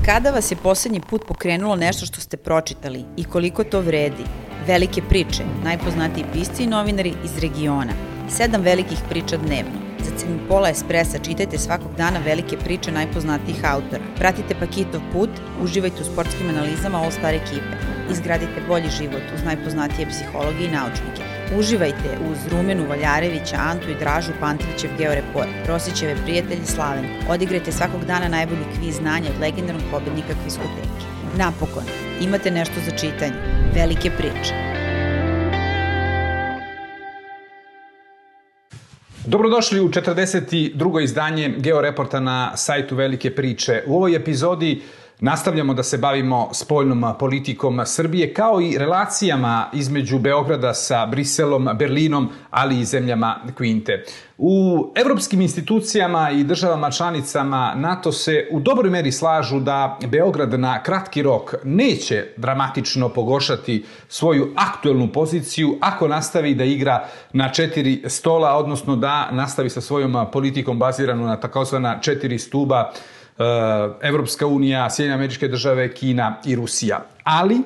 Kada vas je poslednji put pokrenulo nešto što ste pročitali i koliko to vredi? Velike priče, najpoznatiji pisci i novinari iz regiona. 7 velikih priča dnevno. Za cenu pola espresa čitajte svakog dana velike priče najpoznatijih autora. Pratite Pakitov put, uživajte u sportskim analizama All Star ekipe. Izgradite bolji život uz najpoznatije psihologe i naučnike. Uživajte uz Rumenu Valjarevića, Antu i Dražu Pantrićev Georeport, Rosićeve prijatelji Slavenku. Odigrajte svakog dana najbolji kviz znanja od legendarnog pobednika Kviskoteke. Napokon, imate nešto za čitanje. Velike priče. Dobrodošli u 42. izdanje Georeporta na sajtu Velike priče. U ovoj epizodi nastavljamo da se bavimo spoljnom politikom Srbije, kao i relacijama između Beograda sa Briselom, Berlinom, ali i zemljama Kvinte. U evropskim institucijama i državama članicama NATO se u dobroj meri slažu da Beograd na kratki rok neće dramatično pogoršati svoju aktuelnu poziciju ako nastavi da igra na 4 stola, odnosno da nastavi sa svojom politikom baziranu na takozvana 4 stuba: Evropska unija, Sjedinjene Američke Države, Kina i Rusija. Ali,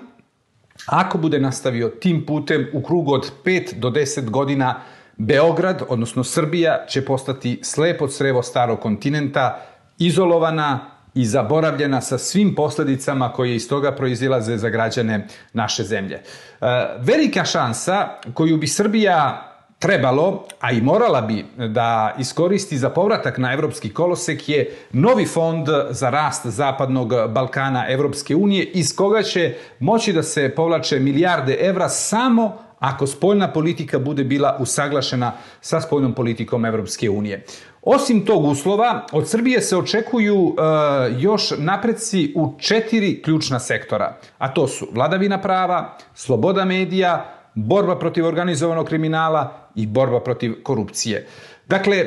ako bude nastavio tim putem, u krugu od 5 do 10 godina Beograd, odnosno Srbija, će postati slepo crevo starog kontinenta, izolovana i zaboravljena sa svim posledicama koje iz toga proizilaze za građane naše zemlje. Velika šansa koju bi Srbija trebalo, a i morala bi da iskoristi za povratak na evropski kolosek, je novi fond za rast Zapadnog Balkana Evropske unije, iz koga će moći da se povlače milijarde evra samo ako spoljna politika bude bila usaglašena sa spoljnom politikom Evropske unije. Osim tog uslova, od Srbije se očekuju još napreci u 4 ključna sektora, a to su vladavina prava, sloboda medija, borba protiv organizovanog kriminala i borba protiv korupcije. Dakle,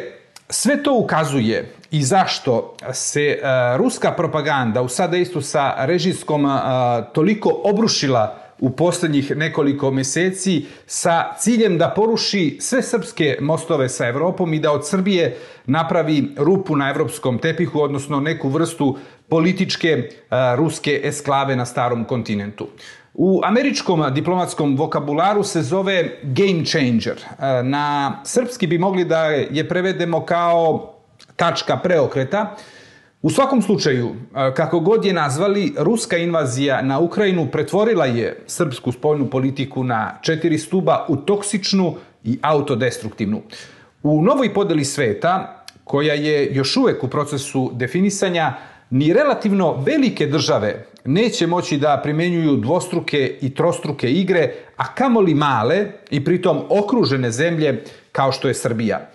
sve to ukazuje i zašto se ruska propaganda u sadejstvu sa režimskom toliko obrušila u poslednjih nekoliko meseci sa ciljem da poruši sve srpske mostove sa Evropom i da od Srbije napravi rupu na evropskom tepihu, odnosno neku vrstu političke ruske esklave na starom kontinentu. U američkom diplomatskom vokabularu se zove game changer. Na srpski bi mogli da je prevedemo kao tačka preokreta. U svakom slučaju, kako god je nazvali, ruska invazija na Ukrajinu pretvorila je srpsku spoljnu politiku na 4 stuba u toksičnu i autodestruktivnu. U novoj podeli sveta, koja je još uvek u procesu definisanja, ni relativno velike države neće moći da primenjuju dvostruke i trostruke igre, a kamoli male i pritom okružene zemlje kao što je Srbija.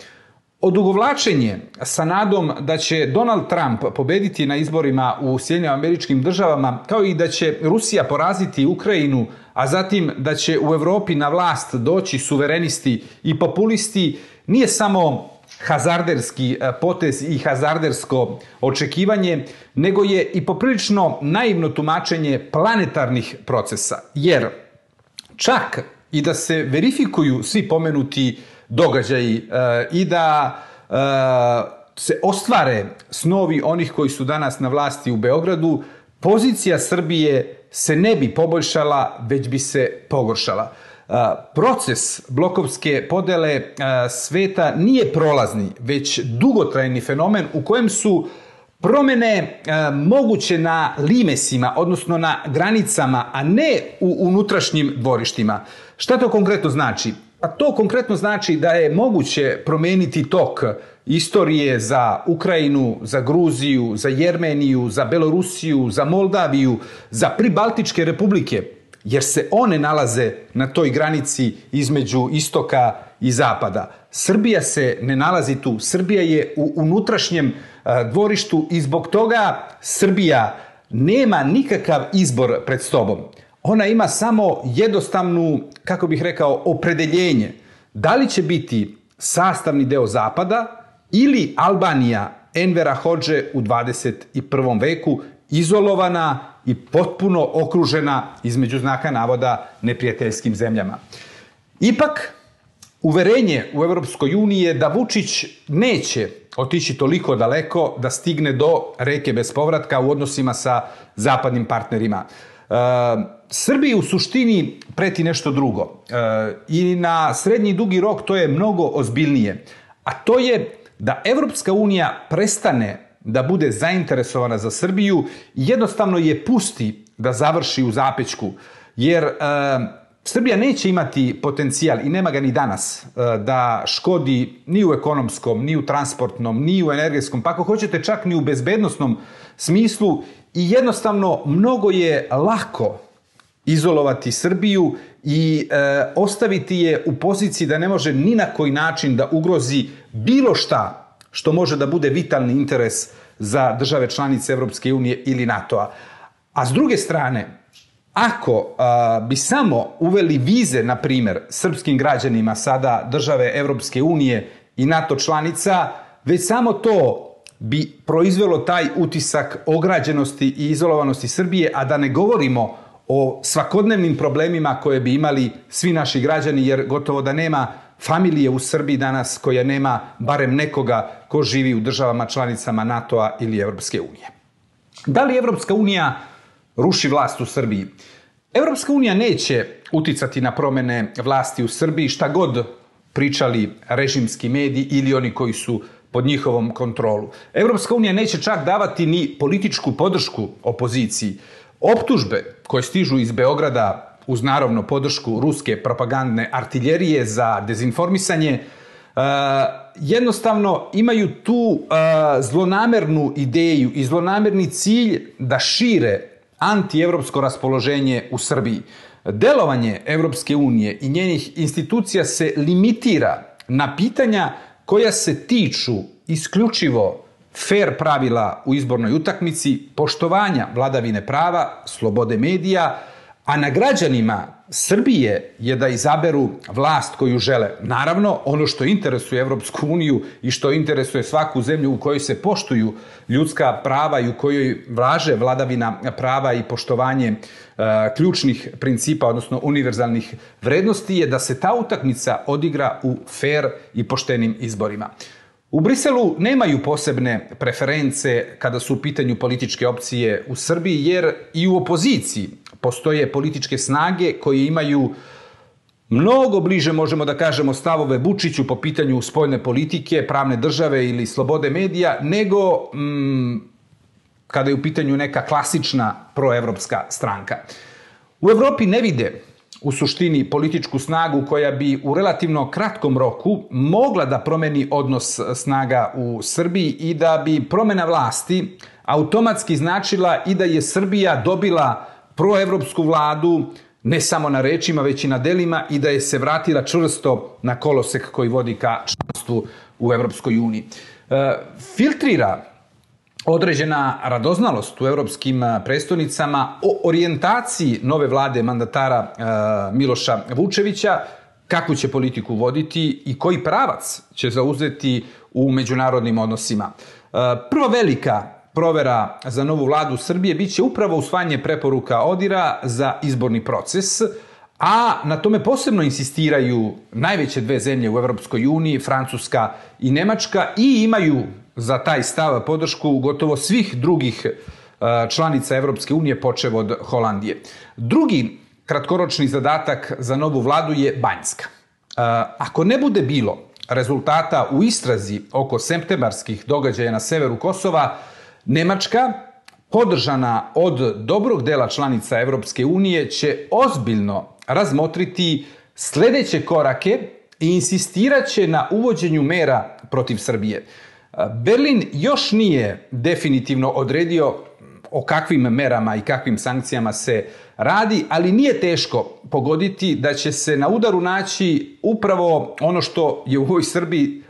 Odugovlačenje sa nadom da će Donald Trump pobediti na izborima u Sjedinjenim Američkim Državama, kao i da će Rusija poraziti Ukrajinu, a zatim da će u Evropi na vlast doći suverenisti i populisti, nije samo hazarderski potez i hazardersko očekivanje, nego je i poprilično naivno tumačenje planetarnih procesa. Jer čak i da se verifikuju svi pomenuti događaji i da se ostvare snovi onih koji su danas na vlasti u Beogradu, pozicija Srbije se ne bi poboljšala, već bi se pogoršala. Proces blokovske podele sveta nije prolazni, već dugotrajni fenomen u kojem su promene moguće na limesima, odnosno na granicama, a ne u unutrašnjim dvorištima. Šta to konkretno znači? Pa to konkretno znači da je moguće promeniti tok istorije za Ukrajinu, za Gruziju, za Jermeniju, za Belorusiju, za Moldaviju, za pribaltičke republike, jer se one nalaze na toj granici između istoka i zapada. Srbija se ne nalazi tu. Srbija je u unutrašnjem dvorištu i zbog toga Srbija nema nikakav izbor pred sobom. Ona ima samo jednostavnu, kako bih rekao, opredeljenje. Da li će biti sastavni deo Zapada ili Albanija Envera Hodže u 21. veku, izolovana i potpuno okružena, između znaka navoda, neprijateljskim zemljama. Ipak, uverenje u Evropskoj uniji je da Vučić neće otići toliko daleko da stigne do reke bez povratka u odnosima sa zapadnim partnerima. Srbiji u suštini preti nešto drugo i na srednji i dugi rok to je mnogo ozbiljnije, a to je da Evropska unija prestane da bude zainteresovana za Srbiju i jednostavno je pusti da završi u zapećku, jer Srbija neće imati potencijal, i nema ga ni danas, da škodi ni u ekonomskom, ni u transportnom, ni u energetskom, pa ako hoćete čak ni u bezbednosnom smislu, i jednostavno mnogo je lako izolovati Srbiju i ostaviti je u poziciji da ne može ni na koji način da ugrozi bilo šta što može da bude vitalni interes za države članice Evropske unije ili NATO-a. A s druge strane, ako bi samo uveli vize, na primjer, srpskim građanima sada države Evropske unije i NATO članica, već samo to bi proizvelo taj utisak ograđenosti i izolovanosti Srbije, a da ne govorimo o svakodnevnim problemima koje bi imali svi naši građani, jer gotovo da nema familije u Srbiji danas koja nema barem nekoga ko živi u državama članicama NATO-a ili Evropske unije. Da li Evropska unija ruši vlast u Srbiji? Evropska unija neće uticati na promene vlasti u Srbiji, šta god pričali režimski mediji ili oni koji su pod njihovom kontrolu. Evropska unija neće čak davati ni političku podršku opoziciji. Optužbe koje stižu iz Beograda uz naravno podršku ruske propagandne artiljerije za dezinformisanje, jednostavno imaju tu zlonamernu ideju i zlonamerni cilj da šire antievropsko raspoloženje u Srbiji. Delovanje Evropske unije i njenih institucija se limitira na pitanja koja se tiču isključivo fer pravila u izbornoj utakmici, poštovanja vladavine prava, slobode medija, a na građanima Srbije je da izaberu vlast koju žele. Naravno, ono što interesuje Evropsku uniju i što interesuje svaku zemlju u kojoj se poštuju ljudska prava i u kojoj važe vladavina prava i poštovanje ključnih principa, odnosno univerzalnih vrednosti, je da se ta utakmica odigra u fer i poštenim izborima. U Briselu nemaju posebne preference kada su u pitanju političke opcije u Srbiji, jer i u opoziciji postoje političke snage koje imaju mnogo bliže, možemo da kažemo, stavove Vučiću po pitanju spoljne politike, pravne države ili slobode medija, nego kada je u pitanju neka klasična proevropska stranka. U Evropi ne vide u suštini političku snagu koja bi u relativno kratkom roku mogla da promeni odnos snaga u Srbiji i da bi promena vlasti automatski značila i da je Srbija dobila proevropsku vladu ne samo na rečima, već i na delima, i da je se vratila čvrsto na kolosek koji vodi ka članstvu u Evropskoj uniji. Filtrira određena radoznalost u evropskim prestonicama o orijentaciji nove vlade mandatara Miloša Vučevića, kakvu će politiku voditi i koji pravac će zauzeti u međunarodnim odnosima. Prva velika provera za novu vladu Srbije biće upravo usvajanje preporuka ODIHR-a za izborni proces, a na tome posebno insistiraju najveće dve zemlje u Evropskoj uniji, Francuska i Nemačka, i imaju za taj stav podršku gotovo svih drugih članica Evropske unije, počev od Holandije. Drugi kratkoročni zadatak za novu vladu je Banjska. Ako ne bude bilo rezultata u istrazi oko septembarskih događaja na severu Kosova, Nemačka, podržana od dobrog dela članica Evropske unije, će ozbiljno razmotriti sledeće korake i insistirat će na uvođenju mera protiv Srbije. Berlin još nije definitivno odredio o kakvim merama i kakvim sankcijama se radi, ali nije teško pogoditi da će se na udaru naći upravo ono što je u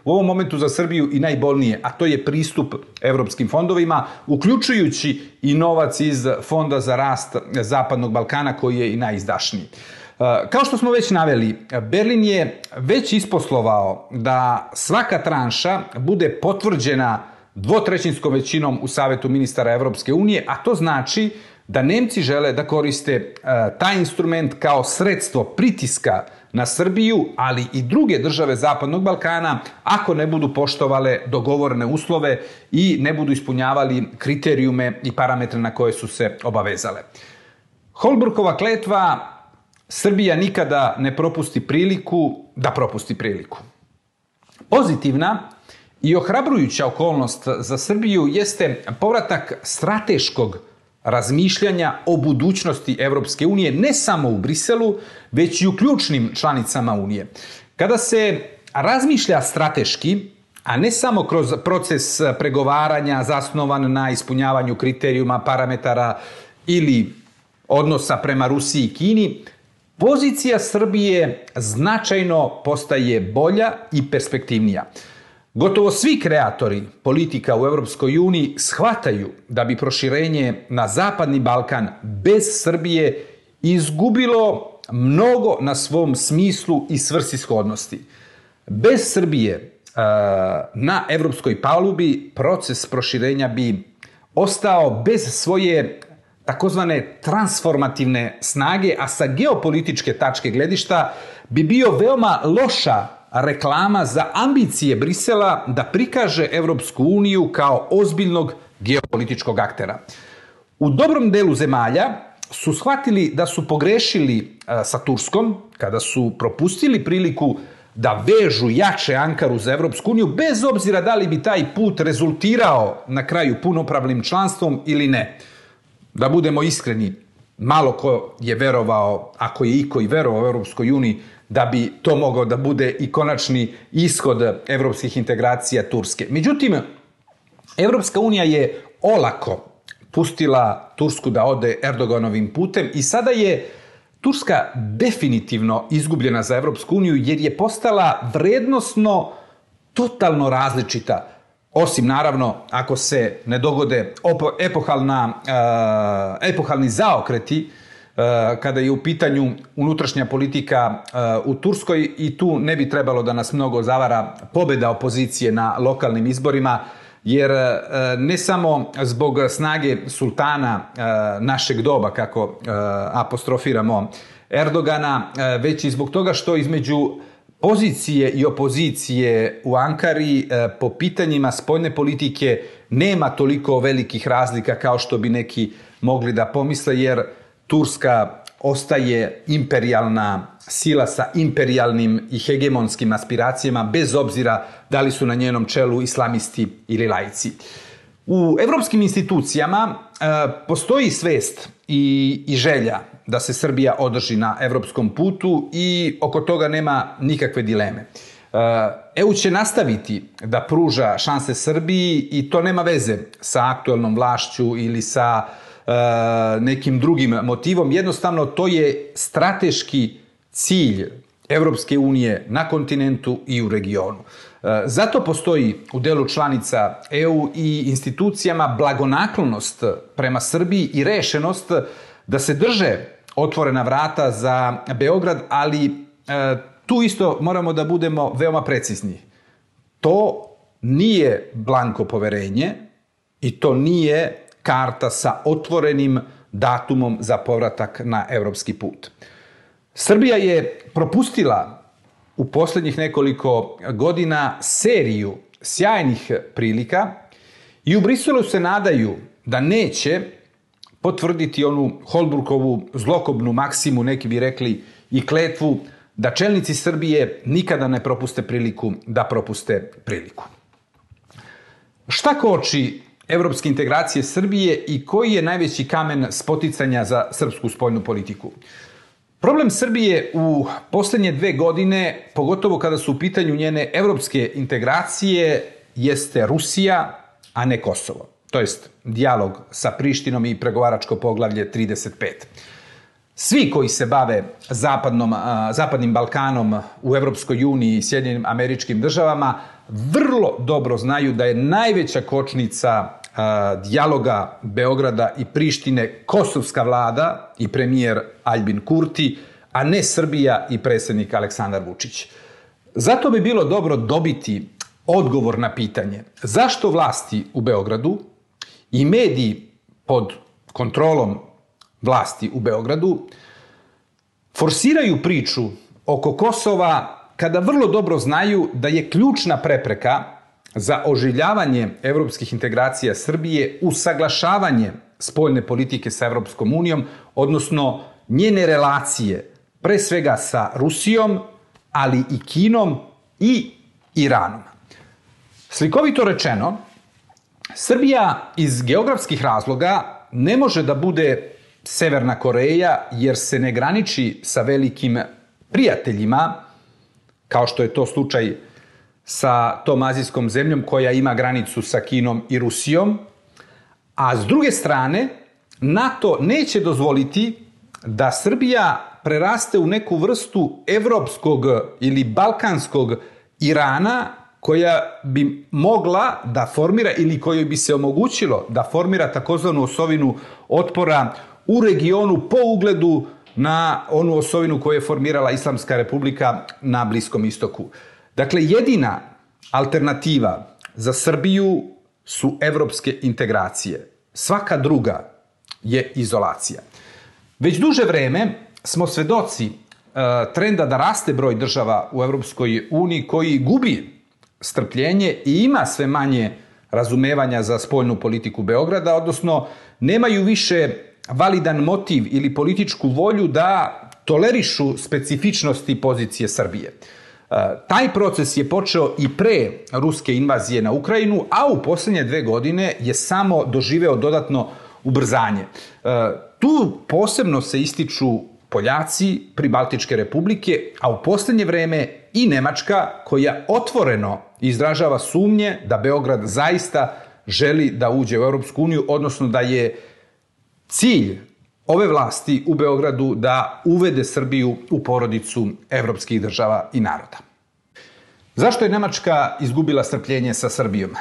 ovom momentu za Srbiju i najbolnije, a to je pristup evropskim fondovima, uključujući i novac iz Fonda za rast Zapadnog Balkana, koji je i najizdašniji. Kao što smo već naveli, Berlin je već isposlovao da svaka tranša bude potvrđena dvotrećinskom većinom u Savetu ministara Evropske unije, a to znači da Nemci žele da koriste taj instrument kao sredstvo pritiska na Srbiju, ali i druge države Zapadnog Balkana, ako ne budu poštovale dogovorene uslove i ne budu ispunjavali kriterijume i parametre na koje su se obavezale. Holbrukova kletva: Srbija nikada ne propusti priliku da propusti priliku. Pozitivna i ohrabrujuća okolnost za Srbiju jeste povratak strateškog razmišljanja o budućnosti Evropske unije, ne samo u Briselu, već i u ključnim članicama Unije. Kada se razmišlja strateški, a ne samo kroz proces pregovaranja zasnovan na ispunjavanju kriterijuma, parametara ili odnosa prema Rusiji i Kini, pozicija Srbije značajno postaje bolja i perspektivnija. Gotovo svi kreatori politika u Evropskoj uniji shvataju da bi proširenje na Zapadni Balkan bez Srbije izgubilo mnogo na svom smislu i svrsishodnosti. Bez Srbije na evropskoj palubi proces proširenja bi ostao bez svoje takozvane transformativne snage, a sa geopolitičke tačke gledišta bi bio veoma loša reklama za ambicije Brisela da prikaže Evropsku uniju kao ozbiljnog geopolitičkog aktera. U dobrom delu zemalja su shvatili da su pogrešili sa Turskom kada su propustili priliku da vežu jače Ankaru za Evropsku uniju, bez obzira da li bi taj put rezultirao na kraju punopravnim članstvom ili ne. Da budemo iskreni, malo ko je verovao, ako je iko i verovao u Evropskoj uniji, da bi to mogao da bude i konačni ishod evropskih integracija Turske. Međutim, Evropska unija je olako pustila Tursku da ode Erdoganovim putem i sada je Turska definitivno izgubljena za Evropsku uniju jer je postala vrednosno totalno različita. Osim, naravno, ako se ne dogode epohalni zaokreti kada je u pitanju unutrašnja politika u Turskoj, i tu ne bi trebalo da nas mnogo zavara pobeda opozicije na lokalnim izborima, jer ne samo zbog snage sultana našeg doba, kako apostrofiramo Erdogana, već i zbog toga što između pozicije i opozicije u Ankari po pitanjima spoljne politike nema toliko velikih razlika kao što bi neki mogli da pomisle, jer Turska ostaje imperijalna sila sa imperijalnim i hegemonskim aspiracijama, bez obzira da li su na njenom čelu islamisti ili laici. U evropskim institucijama postoji svest i želja da se Srbija održi na evropskom putu i oko toga nema nikakve dileme. EU će nastaviti da pruža šanse Srbiji i to nema veze sa aktuelnom vlašću ili sa nekim drugim motivom. Jednostavno, to je strateški cilj Evropske unije na kontinentu i u regionu. Zato postoji u delu članica EU i institucijama blagonaklonost prema Srbiji i rešenost da se drže otvorena vrata za Beograd, ali tu isto moramo da budemo veoma precizni. To nije blanko poverenje i to nije karta sa otvorenim datumom za povratak na evropski put. Srbija je propustila u poslednjih nekoliko godina seriju sjajnih prilika i u Briselu se nadaju da neće potvrditi onu Holbrookovu zlokobnu maksimu, neki bi rekli i kletvu, da čelnici Srbije nikada ne propuste priliku da propuste priliku. Šta koči evropske integracije Srbije i koji je najveći kamen spoticanja za srpsku spoljnu politiku? Problem Srbije u poslednje 2 godine, pogotovo kada su u pitanju njene evropske integracije, jeste Rusija, a ne Kosovo. To jest dijalog sa Prištinom i pregovaračko poglavlje 35. Svi koji se bave Zapadnim Balkanom u Evropskoj uniji i Sjedinjenim Američkim Državama vrlo dobro znaju da je najveća kočnica dijaloga Beograda i Prištine kosovska vlada i premijer Aljbin Kurti, a ne Srbija i predsjednik Aleksandar Vučić. Zato bi bilo dobro dobiti odgovor na pitanje zašto vlasti u Beogradu i mediji pod kontrolom vlasti u Beogradu forsiraju priču oko Kosova kada vrlo dobro znaju da je ključna prepreka za oživljavanje evropskih integracija Srbije usaglašavanje spoljne politike sa Evropskom unijom, odnosno njene relacije, pre svega sa Rusijom, ali i Kinom i Iranom. Slikovito rečeno, Srbija iz geografskih razloga ne može da bude Severna Koreja jer se ne graniči sa velikim prijateljima, kao što je to slučaj sa tom azijskom zemljom koja ima granicu sa Kinom i Rusijom, a s druge strane, NATO neće dozvoliti da Srbija preraste u neku vrstu evropskog ili balkanskog Irana koja bi mogla da formira ili kojoj bi se omogućilo da formira takozvanu osovinu otpora u regionu po ugledu na onu osovinu koju je formirala Islamska republika na Bliskom istoku. Dakle, jedina alternativa za Srbiju su evropske integracije. Svaka druga je izolacija. Već duže vreme smo svedoci trenda da raste broj država u Evropskoj uniji koji gubi strpljenje i ima sve manje razumevanja za spoljnu politiku Beograda, odnosno nemaju više validan motiv ili političku volju da tolerišu specifičnosti pozicije Srbije. Taj proces je počeo i pre ruske invazije na Ukrajinu, a u posljednje 2 godine je samo doživeo dodatno ubrzanje. Tu posebno se ističu Poljaci, Pribaltičke republike, a u posljednje vreme i Nemačka koja otvoreno izražava sumnje da Beograd zaista želi da uđe u Europsku uniju, odnosno da je cilj ove vlasti u Beogradu da uvede Srbiju u porodicu evropskih država i naroda. Zašto je Nemačka izgubila strpljenje sa Srbijom?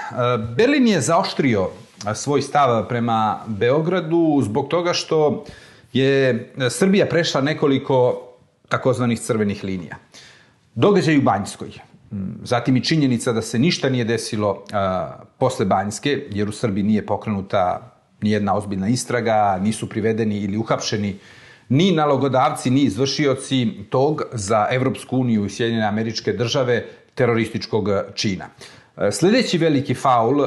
Berlin je zaoštrio svoj stav prema Beogradu zbog toga što je Srbija prešla nekoliko takozvanih crvenih linija. Događaj u Banjskoj, zatim i činjenica da se ništa nije desilo posle Banjske, jer u Srbiji nije pokrenuta nijedna ozbiljna istraga, nisu privedeni ili uhapšeni ni nalogodavci, ni izvršioci tog za Evropsku uniju i Sjedinjene Američke Države terorističkog čina. Sljedeći veliki faul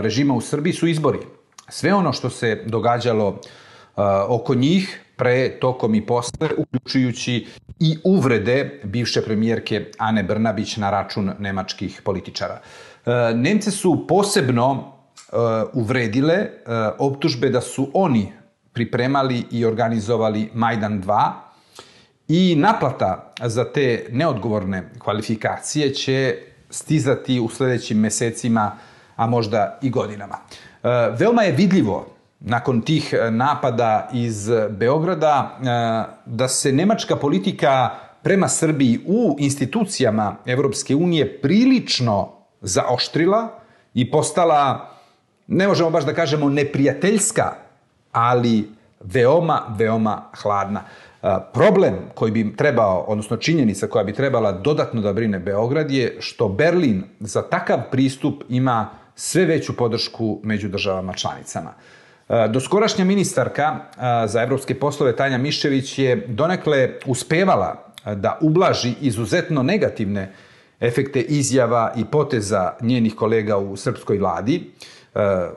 režima u Srbiji su izbori. Sve ono što se događalo oko njih, pre, tokom i posle, uključujući i uvrede bivše premijerke Ane Brnabić na račun nemačkih političara. Nemce su posebno uvredile optužbe da su oni pripremali i organizovali Majdan 2 i naplata za te neodgovorne kvalifikacije će stizati u sljedećim mesecima, a možda i godinama. Veoma je vidljivo nakon tih napada iz Beograda da se nemačka politika prema Srbiji u institucijama Evropske unije prilično zaoštrila i postala, ne možemo baš da kažemo neprijateljska, ali veoma, veoma hladna. Problem koji bi trebao, odnosno činjenica koja bi trebala dodatno da brine Beograd je što Berlin za takav pristup ima sve veću podršku među državama članicama. Doskorašnja ministarka za evropske poslove Tanja Miščević je donekle uspevala da ublaži izuzetno negativne efekte izjava i poteza njenih kolega u srpskoj vladi.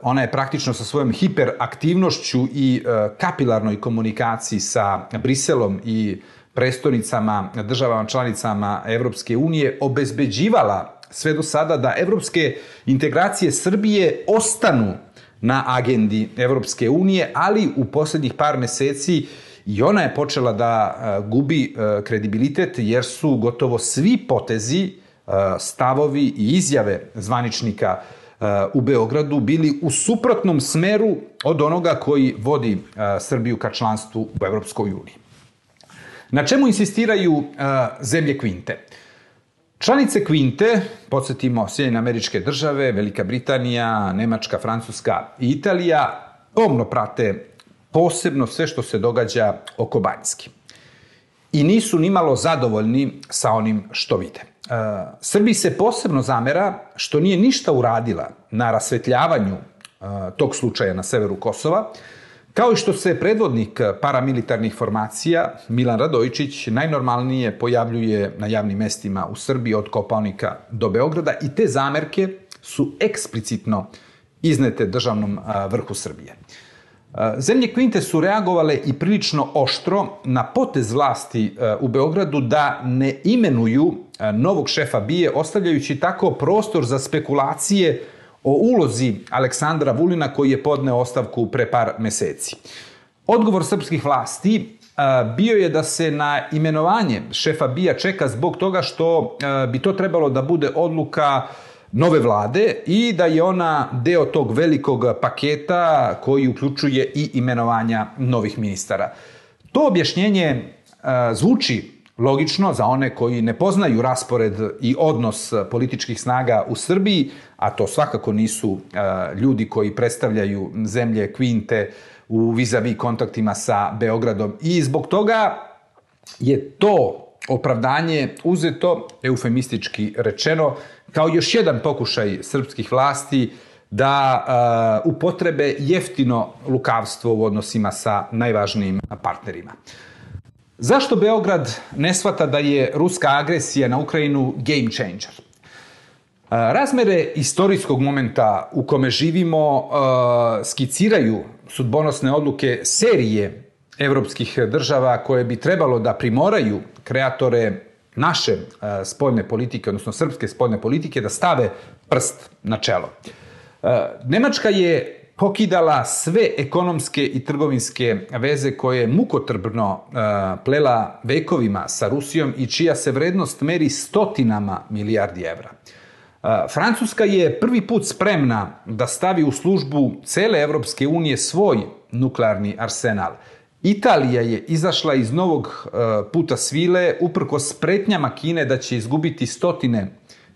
Ona je praktično sa svojom hiperaktivnošću i kapilarnoj komunikaciji sa Briselom i prestonicama, državama članicama Evropske unije obezbeđivala sve do sada da evropske integracije Srbije ostanu na agendi Evropske unije, ali u posljednjih par meseci i ona je počela da gubi kredibilitet jer su gotovo svi potezi, stavovi i izjave zvaničnika u Beogradu bili u suprotnom smeru od onoga koji vodi Srbiju ka članstvu u Evropskoj uniji. Na čemu insistiraju zemlje Kvinte? Članice Kvinte, podsjetimo, Sjedinjene Američke Države, Velika Britanija, Nemačka, Francuska i Italija, pomno prate posebno sve što se događa oko Banjske. I nisu nimalo zadovoljni sa onim što vide. Srbiji se posebno zamera što nije ništa uradila na rasvetljavanju tog slučaja na severu Kosova, Kao i što se predvodnik paramilitarnih formacija, Milan Radojičić, najnormalnije pojavljuje na javnim mestima u Srbiji od Kopaonika do Beograda i te zamerke su eksplicitno iznete državnom vrhu Srbije. Zemlje Kvinte su reagovale i prilično oštro na potez vlasti u Beogradu da ne imenuju novog šefa BIA, ostavljajući tako prostor za spekulacije o ulozi Aleksandra Vulina koji je podneo ostavku pre par meseci. Odgovor srpskih vlasti bio je da se na imenovanje šefa BIA čeka zbog toga što bi to trebalo da bude odluka nove vlade i da je ona deo tog velikog paketa koji uključuje i imenovanja novih ministara. To objašnjenje zvuči logično za one koji ne poznaju raspored i odnos političkih snaga u Srbiji, a to svakako nisu ljudi koji predstavljaju zemlje Kvinte u vis-a-vis kontaktima sa Beogradom. I zbog toga je to opravdanje uzeto, eufemistički rečeno, kao još jedan pokušaj srpskih vlasti da upotrebe jeftino lukavstvo u odnosima sa najvažnijim partnerima. Zašto Beograd ne shvata da je ruska agresija na Ukrajinu game changer? Razmere istorijskog momenta u kome živimo skiciraju sudbonosne odluke serije evropskih država koje bi trebalo da primoraju kreatore naše spoljne politike, odnosno srpske spoljne politike, da stave prst na čelo. Nemačka je pokidala sve ekonomske i trgovinske veze koje je mukotrpno plela vekovima sa Rusijom i čija se vrednost meri stotinama milijardi evra. Francuska je prvi put spremna da stavi u službu cele Evropske unije svoj nuklearni arsenal. Italija je izašla iz novog puta svile uprkos pretnjama Kine da će izgubiti stotine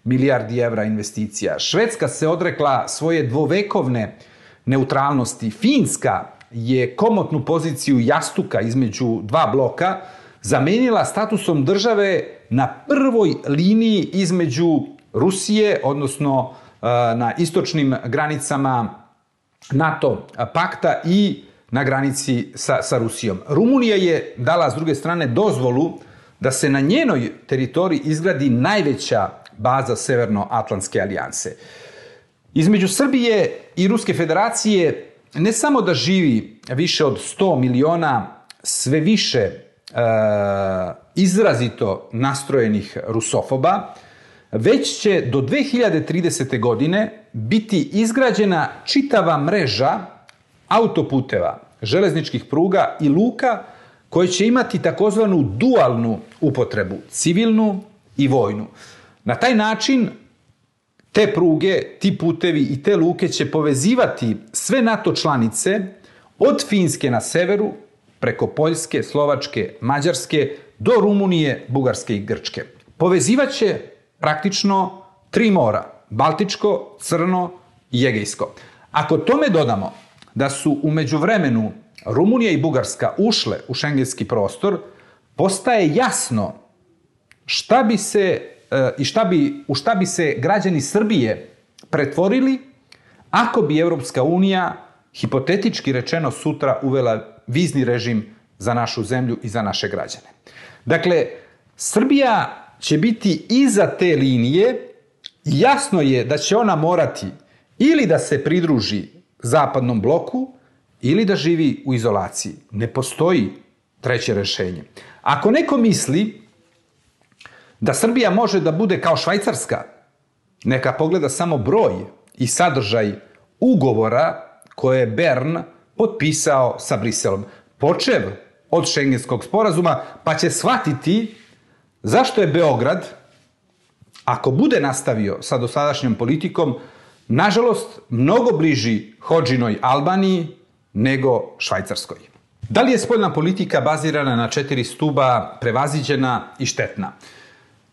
milijardi evra investicija. Švedska se odrekla svoje dvovekovne neutralnosti. Finska je komotnu poziciju jastuka između dva bloka zamenila statusom države na prvoj liniji između Rusije, odnosno na istočnim granicama NATO pakta i na granici sa Rusijom. Rumunija je dala s druge strane dozvolu da se na njenoj teritoriji izgradi najveća baza Severnoatlantske alijanse. Između Srbije i Ruske federacije ne samo da živi više od 100 miliona sve više izrazito nastrojenih rusofoba, već će do 2030. godine biti izgrađena čitava mreža autoputeva, železničkih pruga i luka koje će imati takozvanu dualnu upotrebu, civilnu i vojnu. Na taj način te pruge, ti putevi i te luke će povezivati sve NATO članice od Finske na severu, preko Poljske, Slovačke, Mađarske, do Rumunije, Bugarske i Grčke. Povezivaće praktično 3 mora, Baltičko, Crno i Egejsko. Ako tome dodamo da su u međuvremenu Rumunija i Bugarska ušle u šengenski prostor, postaje jasno u šta bi se građani Srbije pretvorili ako bi Evropska unija, hipotetički rečeno, sutra uvela vizni režim za našu zemlju i za naše građane. Dakle, Srbija će biti iza te linije i jasno je da će ona morati ili da se pridruži zapadnom bloku ili da živi u izolaciji. Ne postoji treće rešenje. Ako neko misli da Srbija može da bude kao Švajcarska, neka pogleda samo broj i sadržaj ugovora koje je Bern potpisao sa Briselom. Počev od šengenskog sporazuma, pa će shvatiti zašto je Beograd, ako bude nastavio sa dosadašnjom politikom, nažalost, mnogo bliži Hodžinoj Albaniji nego Švajcarskoj. Da li je spoljna politika bazirana na 4 stuba prevaziđena i štetna?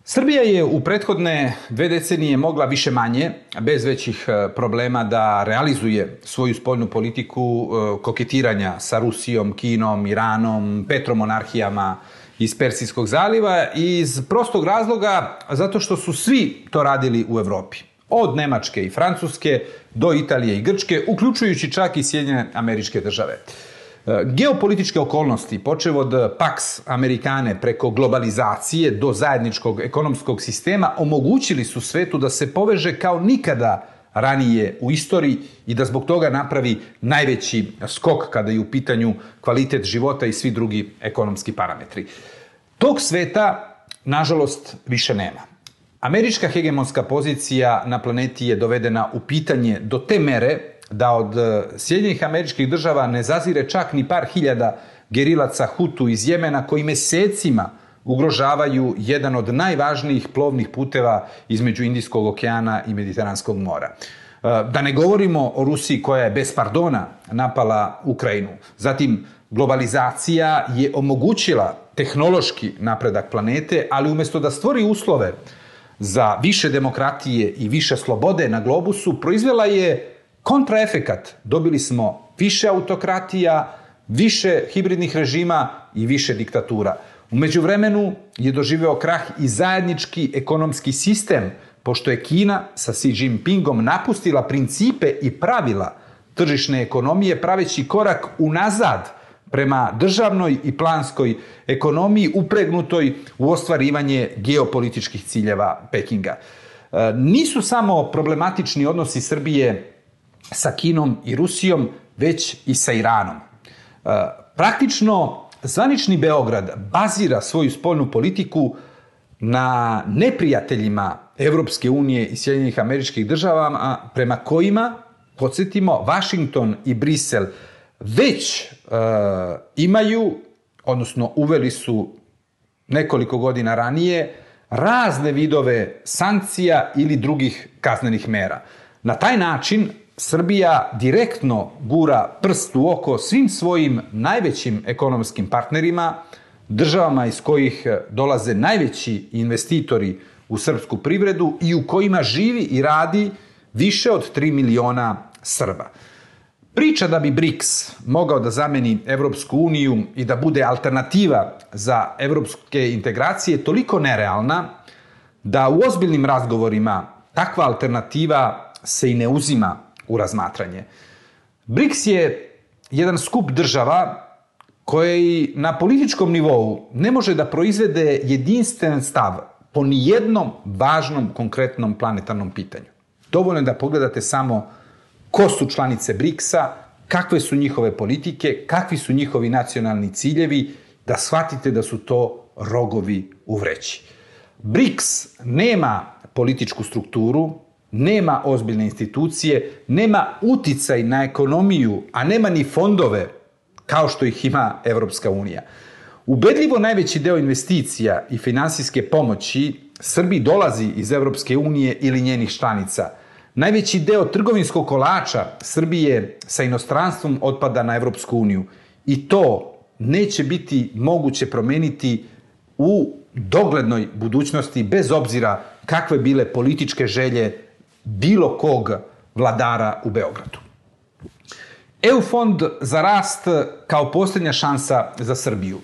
Srbija je u prethodne 2 decenije mogla više manje, bez većih problema, da realizuje svoju spoljnu politiku koketiranja sa Rusijom, Kinom, Iranom, petromonarhijama iz Persijskog zaliva iz prostog razloga zato što su svi to radili u Evropi. Od Nemačke i Francuske do Italije i Grčke, uključujući čak i Sjedinjene Američke Države. Geopolitičke okolnosti, počev od Pax Americane preko globalizacije do zajedničkog ekonomskog sistema, omogućili su svetu da se poveže kao nikada ranije u istoriji i da zbog toga napravi najveći skok kada je u pitanju kvalitet života i svi drugi ekonomski parametri. Tog sveta, nažalost, više nema. Američka hegemonska pozicija na planeti je dovedena u pitanje do te mere da od Sjedinjenih Američkih Država ne zazire čak ni par hiljada gerilaca Hutu iz Jemena koji mesecima ugrožavaju jedan od najvažnijih plovnih puteva između Indijskog okeana i Mediteranskog mora. Da ne govorimo o Rusiji koja je bez pardona napala Ukrajinu. Zatim, globalizacija je omogućila tehnološki napredak planete, ali umjesto da stvori uslove za više demokratije i više slobode na globusu, proizvela je kontraefekat. Dobili smo više autokratija, više hibridnih režima i više diktatura. U međuvremenu je doživeo krah i zajednički ekonomski sistem, pošto je Kina sa Xi Jinpingom napustila principe i pravila tržišne ekonomije, praveći korak unazad prema državnoj i planskoj ekonomiji upregnutoj u ostvarivanje geopolitičkih ciljeva Pekinga. Nisu samo problematični odnosi Srbije sa Kinom i Rusijom, već i sa Iranom. Praktično, zvanični Beograd bazira svoju spoljnu politiku na neprijateljima Evropske unije i Sjedinjenih Američkih Država, prema kojima, podsjetimo, Vašington i Brisel već imaju, odnosno uveli su nekoliko godina ranije, razne vidove sankcija ili drugih kaznenih mera. Na taj način Srbija direktno gura prst u oko svim svojim najvećim ekonomskim partnerima, državama iz kojih dolaze najveći investitori u srpsku privredu i u kojima živi i radi više od 3 miliona Srba. Priča da bi BRICS mogao da zameni Evropsku uniju i da bude alternativa za evropske integracije je toliko nerealna da u ozbiljnim razgovorima takva alternativa se i ne uzima u razmatranje. BRICS je jedan skup država koji na političkom nivou ne može da proizvede jedinstven stav po nijednom važnom konkretnom planetarnom pitanju. Dovoljno je da pogledate samo ko su članice BRICS-a, kakve su njihove politike, kakvi su njihovi nacionalni ciljevi, da shvatite da su to rogovi u vreći. BRICS nema političku strukturu, nema ozbiljne institucije, nema uticaj na ekonomiju, a nema ni fondove kao što ih ima Evropska unija. Ubedljivo najveći deo investicija i finansijske pomoći Srbiji dolazi iz Evropske unije ili njenih članica. Najveći deo trgovinskog kolača Srbije sa inostranstvom otpada na Evropsku uniju i to neće biti moguće promeniti u doglednoj budućnosti bez obzira kakve bile političke želje bilo kog vladara u Beogradu. EU fond za rast kao posljednja šansa za Srbiju.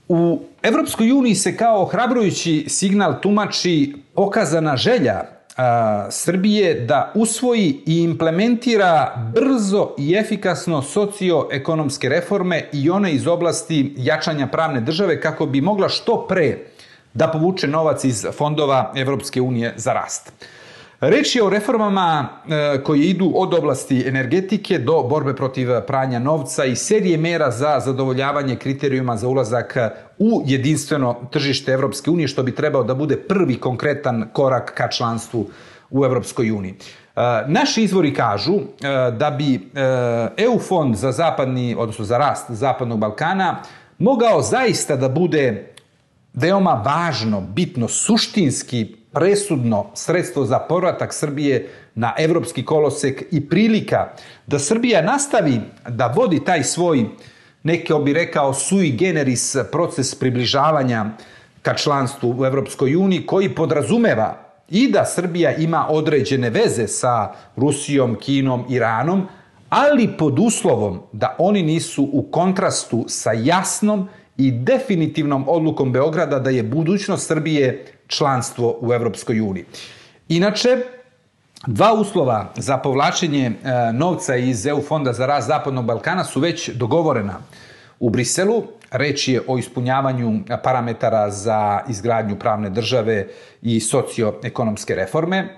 U Evropskoj uniji se kao ohrabrujući signal tumači pokazana želja Srbije da usvoji i implementira brzo i efikasno socioekonomske reforme i one iz oblasti jačanja pravne države kako bi mogla što pre da povuče novac iz fondova Evropske unije za rast. Reč je o reformama koje idu od oblasti energetike do borbe protiv pranja novca i serije mera za zadovoljavanje kriterijuma za ulazak u jedinstveno tržište Evropske unije, što bi trebao da bude prvi konkretan korak ka članstvu u Evropskoj uniji. Naši izvori kažu da bi EU fond za odnosno za rast Zapadnog Balkana mogao zaista da bude veoma važno, bitno, suštinski presudno sredstvo za povratak Srbije na evropski kolosek i prilika da Srbija nastavi da vodi taj svoj, neko bi rekao, sui generis proces približavanja ka članstvu u Evropskoj uniji, koji podrazumeva i da Srbija ima određene veze sa Rusijom, Kinom, Iranom, ali pod uslovom da oni nisu u kontrastu sa jasnom i definitivnom odlukom Beograda da je budućnost Srbije članstvo u Evropskoj uniji. Inače, Dva uslova za povlačenje novca iz EU fonda za rast Zapadnog Balkana su već dogovorena u Briselu. Reč je o ispunjavanju parametara za izgradnju pravne države i socioekonomske reforme.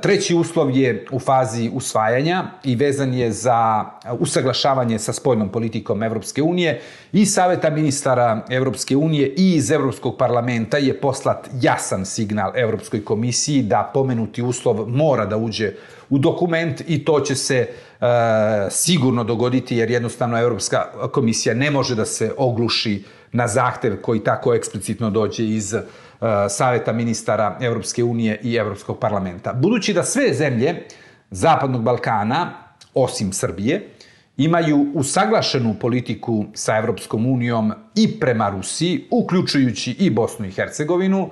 Treći uslov je u fazi usvajanja i vezan je za usaglašavanje sa spoljnom politikom Evropske unije i Saveta ministara Evropske unije i iz Evropskog parlamenta je poslat jasan signal Evropskoj komisiji da pomenuti uslov mora da uđe u dokument i to će se sigurno dogoditi jer jednostavno Evropska komisija ne može da se ogluši na zahtev koji tako eksplicitno dođe iz Saveta ministara Evropske unije i Evropskog parlamenta. Budući da sve zemlje Zapadnog Balkana, osim Srbije, imaju usaglašenu politiku sa Evropskom unijom i prema Rusiji, uključujući i Bosnu i Hercegovinu,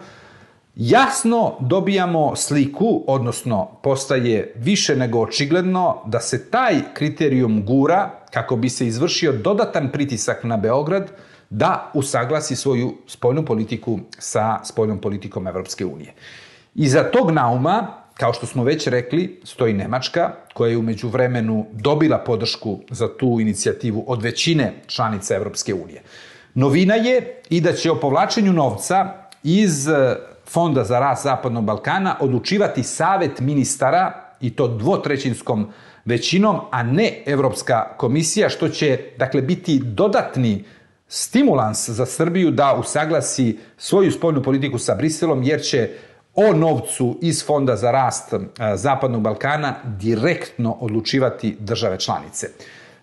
jasno dobijamo sliku, odnosno postaje više nego očigledno da se taj kriterijum gura kako bi se izvršio dodatan pritisak na Beograd da usaglasi svoju spoljnu politiku sa spoljnom politikom Evropske unije. Iza tog nauma, kao što smo već rekli, stoji Nemačka, koja je u međuvremenu dobila podršku za tu inicijativu od većine članica Evropske unije. Novina je i da će o povlačenju novca iz Fonda za rast Zapadnog Balkana odlučivati Savet ministara i to dvotrećinskom većinom, a ne Evropska komisija, što će dakle biti dodatni stimulans za Srbiju da usaglasi svoju spoljnu politiku sa Briselom, jer će o novcu iz Fonda za rast Zapadnog Balkana direktno odlučivati države članice.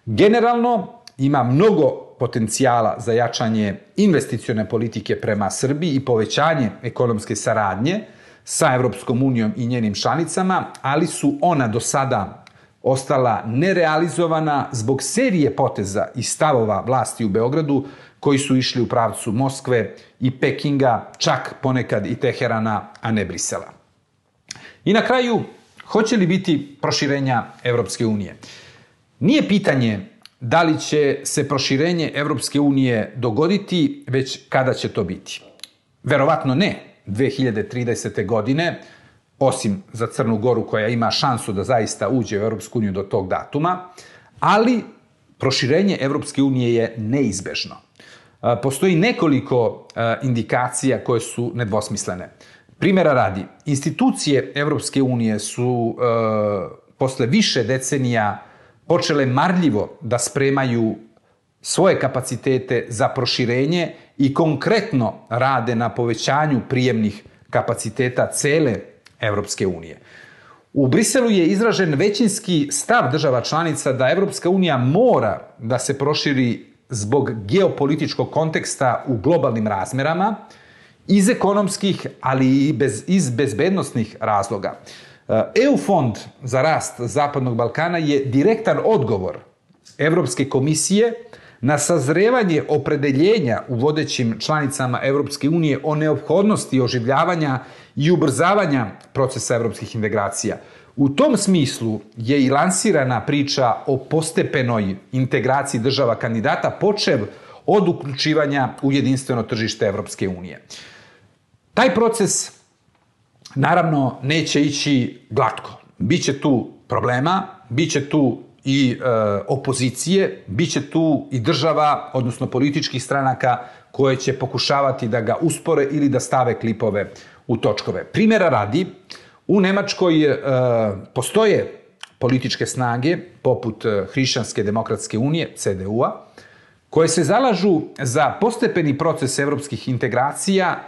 Generalno ima mnogo potencijala za jačanje investicione politike prema Srbiji i povećanje ekonomske saradnje sa Evropskom unijom i njenim članicama, ali su ona do sada ostala nerealizovana zbog serije poteza i stavova vlasti u Beogradu koji su išli u pravcu Moskve i Pekinga, čak ponekad i Teherana, a ne Brisela. I na kraju, hoće li biti proširenja Evropske unije? Nije pitanje da li će se proširenje Evropske unije dogoditi, već kada će to biti. Verovatno ne 2030. godine, osim za Crnu Goru koja ima šansu da zaista uđe u Evropsku uniju do tog datuma, ali proširenje Evropske unije je neizbežno. Postoji nekoliko indikacija koje su nedvosmislene. Primjera radi, institucije Evropske unije su posle više decenija počele marljivo da spremaju svoje kapacitete za proširenje i konkretno rade na povećanju prijemnih kapaciteta cele Evropske unije. U Briselu je izražen većinski stav država članica da Evropska unija mora da se proširi zbog geopolitičkog konteksta u globalnim razmerama, iz ekonomskih, ali i iz bezbednosnih razloga. EU fond za rast Zapadnog Balkana je direktan odgovor Evropske komisije na sazrevanje opredeljenja u vodećim članicama Evropske unije o neophodnosti oživljavanja i ubrzavanja procesa evropskih integracija. U tom smislu je i lansirana priča o postepenoj integraciji država kandidata, počev od uključivanja u jedinstveno tržište Evropske unije. Taj proces, naravno, neće ići glatko. Biće tu problema, biće tu i opozicije, biće tu i država, odnosno političkih stranaka koje će pokušavati da ga uspore ili da stave klipove u točkove. Primjera radi, u Nemačkoj postoje političke snage, poput Hrišćanske demokratske unije, CDU-a, koje se zalažu za postepeni proces evropskih integracija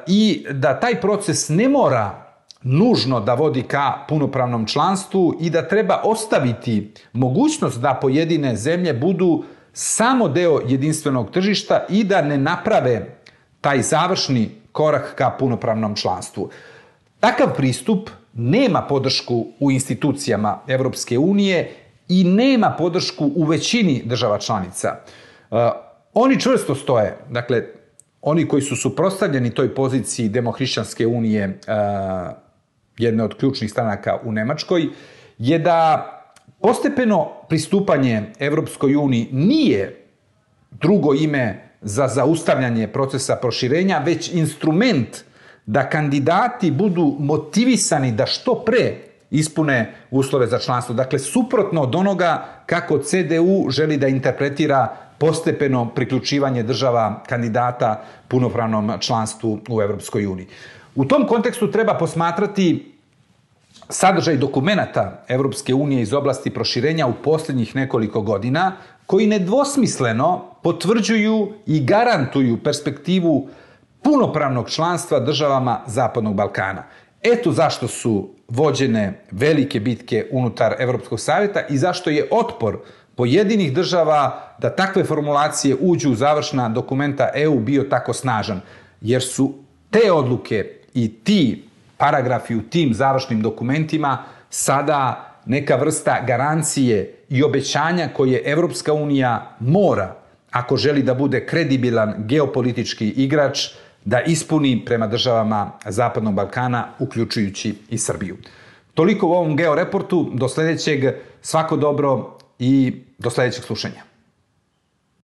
i da taj proces ne mora nužno da vodi ka punopravnom članstvu i da treba ostaviti mogućnost da pojedine zemlje budu samo deo jedinstvenog tržišta i da ne naprave taj završni korak ka punopravnom članstvu. Takav pristup nema podršku u institucijama Evropske unije i nema podršku u većini država članica. Oni čvrsto stoje, dakle, oni koji su suprotstavljeni toj poziciji Demohrišćanske unije, jedne od ključnih stranaka u Nemačkoj, je da postepeno pristupanje Evropskoj uniji nije drugo ime za zaustavljanje procesa proširenja, već instrument da kandidati budu motivisani da što pre ispune uslove za članstvo. Dakle, suprotno od onoga kako CDU želi da interpretira postepeno priključivanje država kandidata punopravnom članstvu u Evropskoj uniji. U tom kontekstu treba posmatrati sadržaj dokumenata Evropske unije iz oblasti proširenja u posljednjih nekoliko godina, koji nedvosmisleno potvrđuju i garantuju perspektivu punopravnog članstva državama Zapadnog Balkana. Eto zašto su vođene velike bitke unutar Evropskog savjeta i zašto je otpor pojedinih država da takve formulacije uđu u završna dokumenta EU bio tako snažan, jer su te odluke i ti paragrafi u tim završnim dokumentima sada neka vrsta garancije i obećanja koje Evropska unija mora, ako želi da bude kredibilan geopolitički igrač, da ispuni prema državama Zapadnog Balkana, uključujući i Srbiju. Toliko u ovom Georeportu, do sljedećeg, svako dobro i do sljedećeg slušanja.